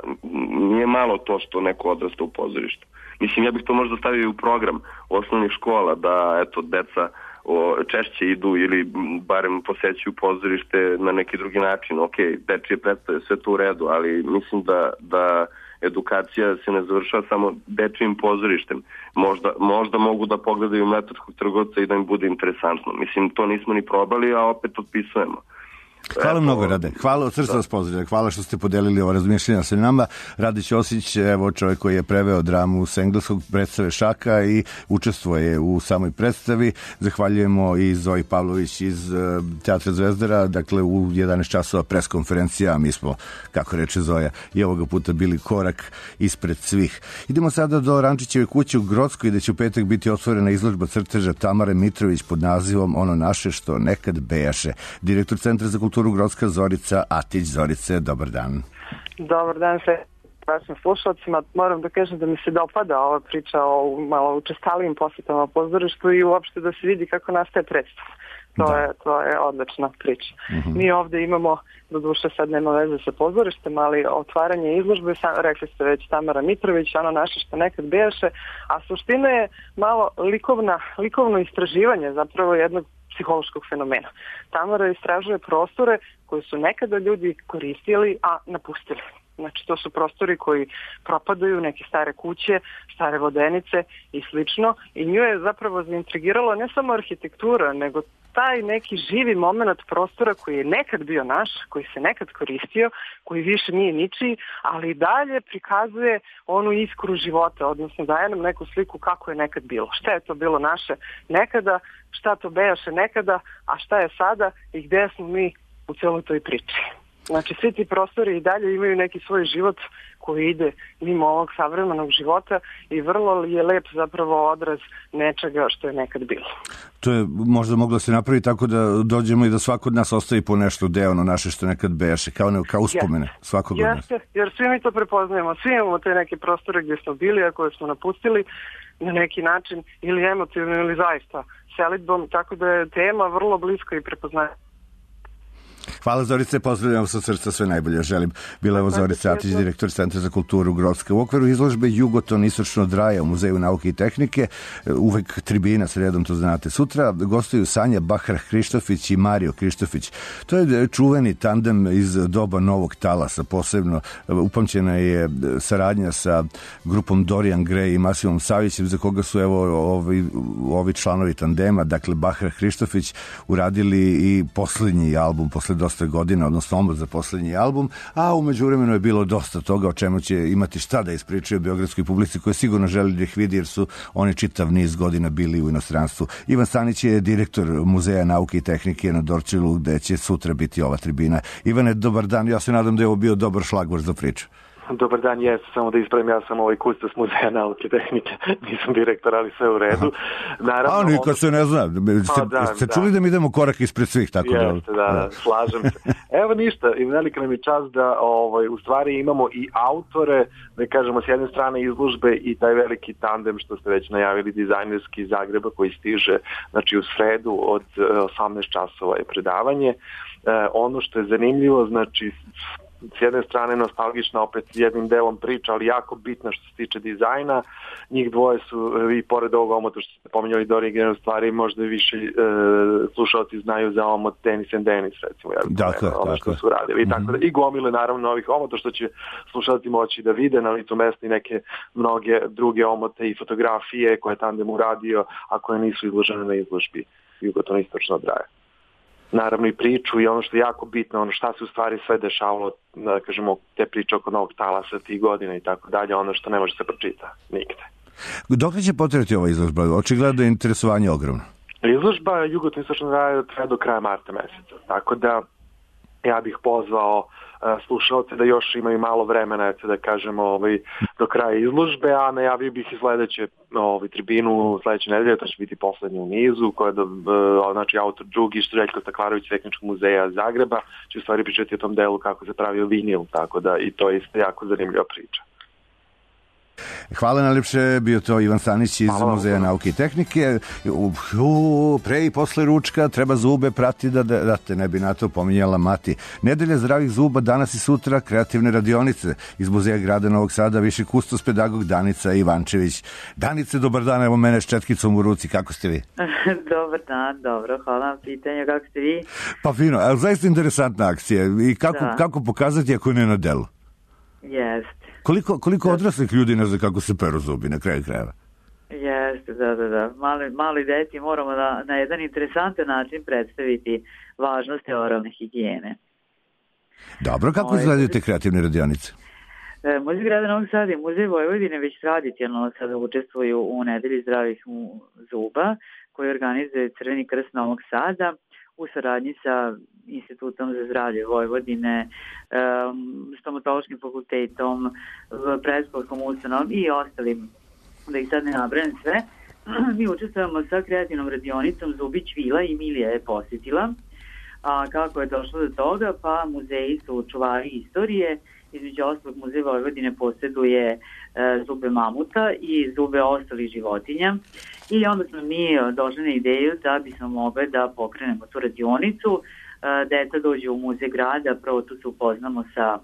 Nije malo to što neko odrasta u pozorištu. Mislim, ja bih to možda stavio u program osnovnih škola, da, eto, deca češće idu ili barem posećuju pozorište na neki drugi način. Ok, dečije predstave, sve to u redu, ali mislim da edukacija se ne završava samo dečijim pozorištem. Možda mogu da pogledaju Mletačkog trgovca i da im bude interesantno. Mislim, to nismo ni probali, a opet otpisujemo. Hvala mnogo, Rade. Hvala, od srca vas pozdravljam. Hvala što ste podelili ovo razmišljenja sa nama. Rade Ćosić, evo čovjek koji je preveo dramu s engleskog, predstave Šaka i učestvuje u samoj predstavi. Zahvaljujemo i Zoji Pavlović iz Teatra Zvezdara, dakle u 11 časova preskonferencija, mi smo, kako reče Zoja, i ovoga puta bili korak ispred svih. Idemo sada do Rančićeve kuće u Grockoj, gde će u petak biti otvorena izložba crteža Tamare Mitrović pod nazivom Ono naše što nekad bejaše. Direktor Centra za kulturu Grocka Zorica Atić. Zorice, dobar dan. Dobar dan sve vašim slušalcima. Moram da kažem da mi se dopada ova priča o malo učestalijim posjetama pozorištu i uopšte da se vidi kako nastaje predstav. To je odlična priča. Mi ovde imamo, do duše sad nema veze sa pozorištem, ali otvaranje izložbe, rekli ste već Tamara Mitrović, Ono naše što nekad bejaše, a suština je malo likovno istraživanje zapravo jednog psihološkog fenomena. Tamara istražuje prostore koje su nekada ljudi koristili, a napustili. Znači, to su prostori koji propadaju, neke stare kuće, stare vodenice i slično. I nju je zapravo zaintrigiralo ne samo arhitektura, nego taj neki živi moment prostora koji je nekad bio naš, koji se nekad koristio, koji više nije ničiji, ali i dalje prikazuje onu iskru života, odnosno daje nam neku sliku kako je nekad bilo. Šta je to bilo naše nekada, šta to bejaše nekada, a šta je sada i gde smo mi u celoj toj priči. Znači, svi ti prostori i dalje imaju neki svoj život koji ide mimo ovog savremenog života i vrlo je lep zapravo odraz nečega što je nekad bilo. To je možda moglo se napraviti tako da dođemo i da svako od nas ostavi po nešto deo ono naše što nekad bejaše, kao uspomene svakog od nas. Jer svi mi to prepoznajemo, svi imamo te neke prostore gdje smo bili, a koje smo napustili na neki način ili emotivno ili zaista selidbom, tako da je tema vrlo bliska i prepoznajemo. Hvala Zorice, pozdravljam sa srca, sve najbolje želim. Bila je Zorica Atić, direktor Centra za kulturu Grocka. U okviru izložbe Jugoton istočno od Raja u Muzeju nauke i tehnike, uvek tribina sredom, to znate. Sutra gostuju Sanja Bahrah-Krištofić i Mario Krištofić. To je čuveni tandem iz doba Novog talasa, posebno upamćena je saradnja sa grupom Dorian Gray i Masimom Savićem, za koga su ovi članovi tandema, dakle Bahrah-Krištofić, uradili i poslednji album posle dosta godina, odnosno omot za poslednji album, a umeđu vremenu je bilo dosta toga o čemu će imati šta da ispričaju beogradskoj publici koja sigurno želi da ih vidi jer su oni čitav niz godina bili u inostranstvu. Ivan Stanić je direktor Muzeja nauke i tehnike na Dorćolu, gde će sutra biti ova tribina. Ivane, dobar dan, ja se nadam da je ovo bio dobar šlagvor za priču. Dobar dan, samo da ispravim, ja sam kustos Muzeja nauke i tehnike, nisam direktor, ali sve u redu. Naravno, nikad se ne zna, ste čuli da mi idemo korak ispred svih, tako da... Jeste, da, slažem se. Evo ništa, i velika nam je čast da u stvari imamo i autore, da kažemo s jedne strane izložbe i taj veliki tandem što ste već najavili, dizajnerski iz Zagreba koji stiže, znači u sredu od 18 časova je predavanje. Ono što je zanimljivo, znači s jedne strane nostalgična opet jednim delom priča, ali jako bitna što se tiče dizajna. Njih dvoje su i pored ovog omota što ste pominjali do originalne stvari, možda više slušalci znaju za omot Dennis and Dennis, recimo. Dakle. Što su radili. I, tako da, i gomile naravno novih omota što će slušalci moći da vide na licu mesta i neke mnoge druge omote i fotografije koje je tandem uradio, a koje nisu izložene na izložbi Jugoton istočno od Raja. Naravno i priču i ono što je jako bitno, ono šta se u stvari sve dešavalo, da kažemo, te priče oko Novog talasa tih godina i tako dalje, ono što ne može se pročita nigde. Dok li će potrajati ova izložba? Očigledno je interesovanje ogromno. Izložba Jugoton istočno Raja traje do kraja marta meseca, tako da ja bih pozvao slušalce da još imaju malo vremena, da kažemo, do kraja izložbe, a najavio bih i sledeće tribinu sledeće nedelje, to će biti poslednje u nizu, koja je znači autor Džugić, Željko Staklarović, Tehničkog muzeja Zagreba, će u stvari pričati o tom delu kako se pravio vinil, tako da i to je isto jako zanimljiva priča. Hvala najlepše, bio to Ivan Stanić iz Muzeja nauke i tehnike. Pre i posle ručka treba zube prati da te ne bi na to pominjala Mati. Nedelja zdravih zuba, danas i sutra kreativne radionice iz Muzeja grada Novog Sada, viši kustos pedagog Danica Ivančević. Danice, dobar dan, evo mene s četkicom u ruci, kako ste vi? Dobar dan, dobro, hvala na pitanju, kako ste vi? Pa fino, ali zaista interesantna akcija i kako pokazati ako ne na delu? Jeste. Koliko odraslih ljudi ne zna kako se peru zubi na kraju krajeva? Jeste, da. Mali deci moramo na jedan interesantan način predstaviti važnost oralne higijene. Dobro, kako izgledaju te kreativne radionice? Muzej grada Novog Sada i Muzej Vojvodine već tradicionalno sada učestvuju u nedelji zdravih zuba koji organizuje Crveni krst Novog Sada u saradnji sa Institutom za zdravlje Vojvodine, stomatološkim fakultetom, predškolskom ustanovom i ostalim, da ih sad ne nabrajam sve. Mi učestvujemo sa kreativnom radionicom Zubić Vila i Milija je posjetila. A kako je došlo do toga? Pa muzeji su čuvari istorije. Između ostalog Muzej Vojvodine posjeduje zube mamuta i zube ostalih životinja. I onda smo mi došli na ideju da bismo mogli da pokrenemo tu radionicu. Deca dođu u muzej grada, prvo tu se upoznamo sa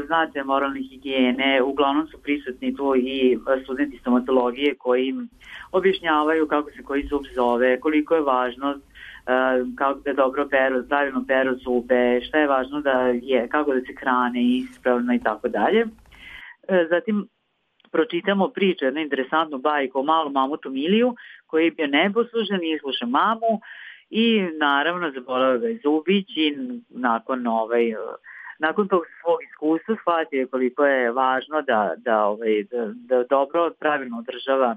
značajem moralne higijene, uglavnom su prisutni tu i studenti stomatologije koji im objašnjavaju kako se koji zub zove, koliko je važno kako da dobro pravilno peru zube, šta je važno da je, kako da se hrane ispravno i tako dalje. Zatim pročitamo priču, jednu interesantnu bajku o malom mamutu Miliju koji je bio neposlušan i sluša mamu i naravno zaboravio ga je Zubić i nakon tog svog iskustva shvatio koliko je važno da dobro, pravilno održava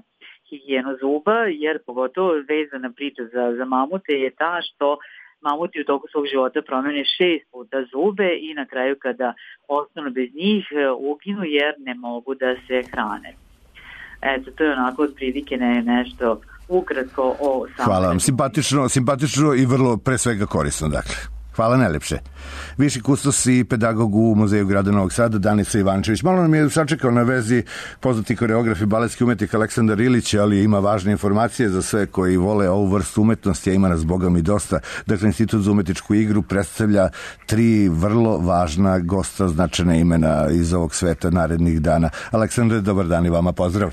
higijenu zuba, jer pogotovo vezana priča za mamute je ta što mamuti u toku svog života promene 6 puta zube i na kraju kada ostanu bez njih uginu jer ne mogu da se hrane. Eto, to je onako od prilike nešto ukratko o samom. Hvala vam, simpatično i vrlo pre svega korisno, dakle. Hvala najlepše. Viši kustos i pedagog u Muzeju grada Novog Sada, Danica Ivančević. Malo nam je sačekao na vezi poznati koreograf i baletski umetnik Aleksandar Ilić, ali ima važne informacije za sve koji vole ovu vrstu umetnosti, a ima nas bogom i dosta. Dakle, Institut za umetničku igru predstavlja 3 vrlo važna gosta, značajna imena iz ovog sveta narednih dana. Aleksandar, dobar dan i vama pozdrav.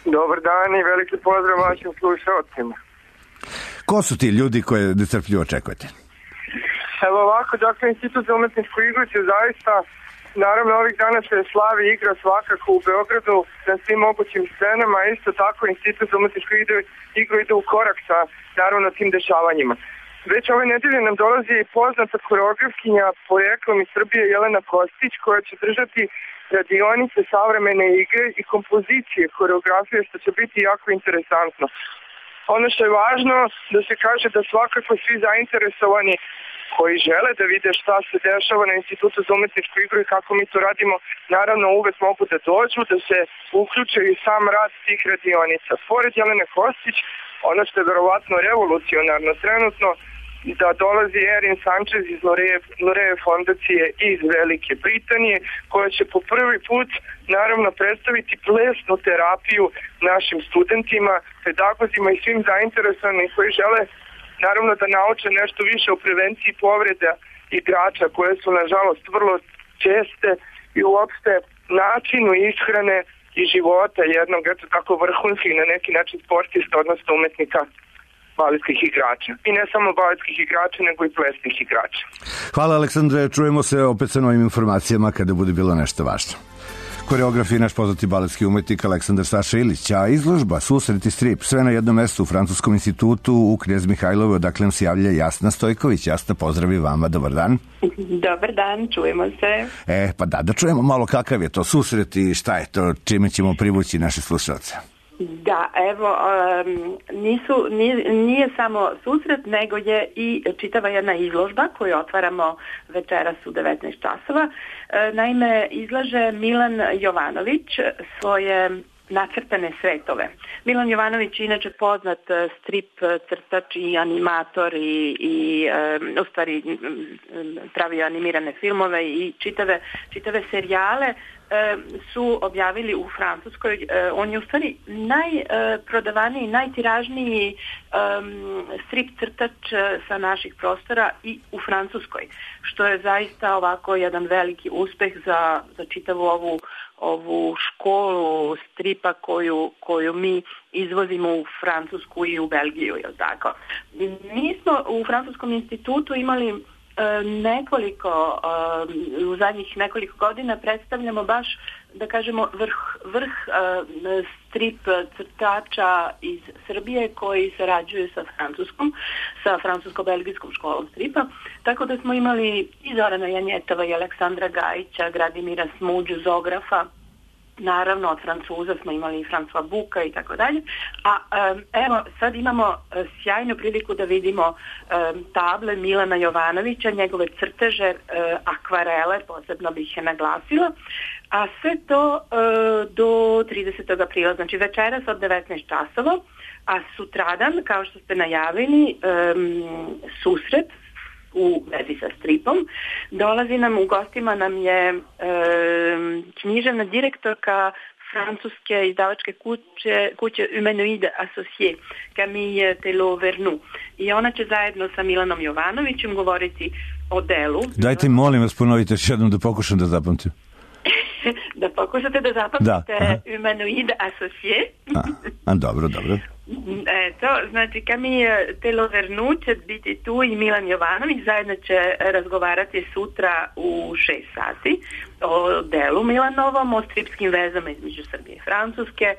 Dobar dan i veliki pozdrav vašim slušalcima. Ko su ti ljudi koje nestrpljivo očekujete? Evo ovako, dakle, Institut za umetničku igru će zaista, naravno ovih dana se slavi igra svakako u Beogradu na svim mogućim scenama, a isto tako Institut za umetničku igru ide u korak sa, naravno, tim dešavanjima. Već ove nedelje nam dolazi poznata koreografkinja poreklom iz Srbije Jelena Kostić, koja će držati radionice savremene igre i kompozicije koreografije, što će biti jako interesantno. Ono što je važno da se kaže da svakako svi zainteresovani koji žele da vide šta se dešava na Institutu za umetničku igru i kako mi to radimo, naravno uvek mogu da dođu, da se uključe i sam rad tih radionica. Pored Jelene Kostić, ono što je verovatno revolucionarno trenutno, da dolazi Erin Sanchez iz Loreje fondacije iz Velike Britanije, koja će po prvi put naravno predstaviti plesnu terapiju našim studentima, pedagozima i svim zainteresovanim koji žele naravno da nauče nešto više o prevenciji povreda igrača koje su nažalost vrlo česte i uopšte načinu ishrane i života jednog, eto tako vrhunskih na neki način sportista, odnosno umetnika baletskih igrača. I ne samo baletskih igrača, nego i plesnih igrača. Hvala Aleksandre, čujemo se opet sa novim informacijama kada bude bilo nešto važno. Koreograf je naš poznati baletski umetnik Aleksandar Saša Ilić, a izložba Susret i strip, sve na jednom mestu u Francuskom institutu u Knez Mihajlovoj, odakle nam se javlja Jasna Stojković. Jasna, pozdrav i vama, dobar dan. Dobar dan, čujemo se. Pa da čujemo malo kakav je to susret i šta je to, čime ćemo privući naše slušalce. Da, evo, nije samo susret, nego je i čitava jedna izložba koju otvaramo večeras u 19 časova. Naime, izlaže Milan Jovanović svoje nacrtane svetove. Milan Jovanović je inače poznat strip crtač i animator i u stvari pravio animirane filmove i čitave serijale su objavili u Francuskoj. On je u stvari najprodavaniji, najtiražniji strip crtač sa naših prostora i u Francuskoj, što je zaista ovako jedan veliki uspeh za čitavu ovu školu stripa koju mi izvozimo u Francusku i u Belgiju, je li tako? Mi smo u Francuskom institutu imali u zadnjih nekoliko godina predstavljamo baš, da kažemo, vrh strip crtača iz Srbije koji sarađuju sa francusko-belgijskom školom stripa, tako da smo imali i Zorana Janjetova i Aleksandra Gajića, Gradimira Smuđu, Zografa. Naravno, od Francuza smo imali i François Buka i tako dalje. A evo, sad imamo sjajnu priliku da vidimo table Milana Jovanovića, njegove crteže, akvarele, posebno bih je naglasila. A sve to do 30. aprila, znači večeras od 19 časova, a sutradan, kao što ste najavili, susret u vezi sa stripom. Dolazi nam, u gostima nam je književna direktorka francuske izdavačke kuće Humanoide Associé, Camille Telot-Vernou. I ona će zajedno sa Milanom Jovanovićem govoriti o delu. Dajte mi, molim vas, ponovite još jednom da pokušam da zapamtim. Da pokušate da zapamtite Humanoide Associé. Dobro. Eto, znači Camille Telot-Vernou će biti tu i Milan Jovanović, zajedno će razgovarati sutra u 6 sati o delu Milanovom, o stripskim vezama između Srbije i Francuske,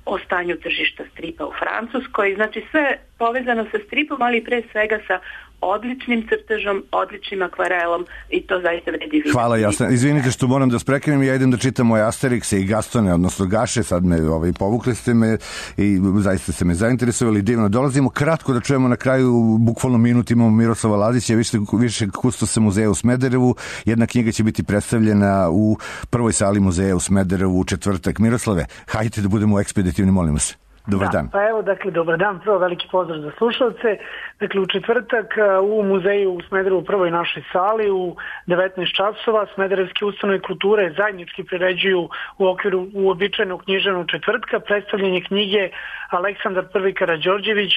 o stanju tržišta stripa u Francuskoj, znači sve povezano sa stripom, ali pre svega sa odličnim crtežom, odličnim akvarelom i to zaista vredi vidjeti. Hvala, jasno. Izvinite što moram da sprekinem, ja idem da čitam moje Asterixe i Gastone, odnosno Gaše, sad me povukli ste me i zaista ste me zainteresovali, divno. Dolazimo kratko da čujemo na kraju, bukvalno minut, imamo Miroslava Lazića, više kustosa muzeja u Smederevu. Jedna knjiga će biti predstavljena u prvoj sali muzeja u Smederevu u četvrtak. Miroslave, hajte da budemo ekspeditivni, molim vas. Dobar dan. Pa evo, dakle, dobar dan, prvo veliki pozdrav za slušalce. Dakle, u četvrtak u muzeju u Smederevu, prvoj našoj sali, u 19 časova, Smederevske ustanove kulture zajednički priređuju u okviru uobičajenog književnog četvrtka predstavljanje knjige Aleksandar I. Karađorđević,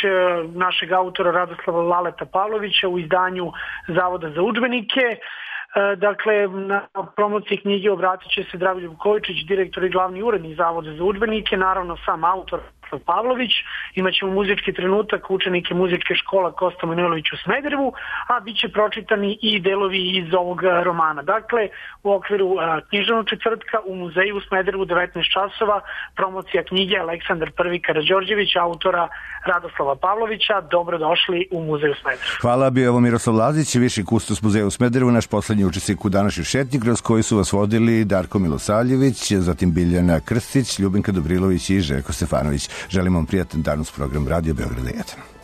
našeg autora Radoslava Laleta Pavlovića u izdanju Zavoda za udžbenike. Dakle, na promociji knjige obratit će se Dragoljub Kojičić, direktor i glavni urednik Zavoda za udžbenike, naravno sam autor Pavlović, imaćemo muzički trenutak učenike muzičke škola Kosta Manojlović u Smederevu, a bit će pročitani i delovi iz ovog romana. Dakle, u okviru književnog četvrtka u muzeju u Smederevu 19 časova, promocija knjige Aleksandar I. Karađorđević, autora Radoslava Pavlovića. Dobrodošli u muzej u Smederevu. Hvala, bio je ovo Miroslav Lazić, viši kustos muzeja u Smederevu, naš poslednji učesnik u današnjoj šetnji, kroz koju su vas vodili Darko Milosavljević, zatim Biljana Krstić, Ljubinka Dobrilović i Željko Stefanović. Želim vam prijatan dan uz program Radio Beograda 1.